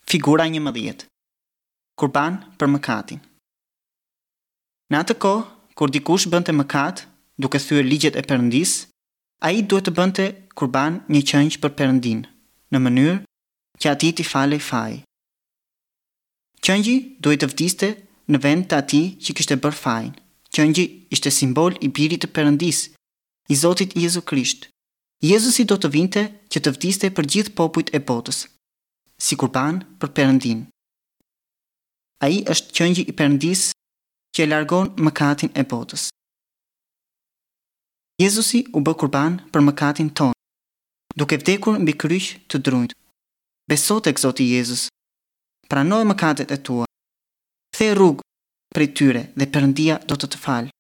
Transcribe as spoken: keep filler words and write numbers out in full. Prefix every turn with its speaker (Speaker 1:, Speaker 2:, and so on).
Speaker 1: Figura njëmbëdhjetë. Kurban për mëkatin. Në atë kohë, kur dikush bënte mëkat, duke thyer ligjet e Perëndisë, ai duhet të bënte kurban një qengj për Perëndinë, në mënyrë që atij t'i falej faji. Qengji duhej të vdiste në vend të atij që kishte bërë fajin. Qengji ishte simbol i Birit të Perëndisë, i Zotit Jezu Krisht. Jezusi do të vinte që të vdiste për gjithë popujt e botës, si kurban për Perëndinë. Ai është qengji i Perëndisë që e largon mëkatin e botës. Jezusi u bë kurban për mëkatin tonë, duke vdekur mbi kryq të drunjtë. Beso tek Zoti Jezus. Pranoje mëkatet e tua. Kthe rrugë prej tyre dhe Perëndia do të të falë.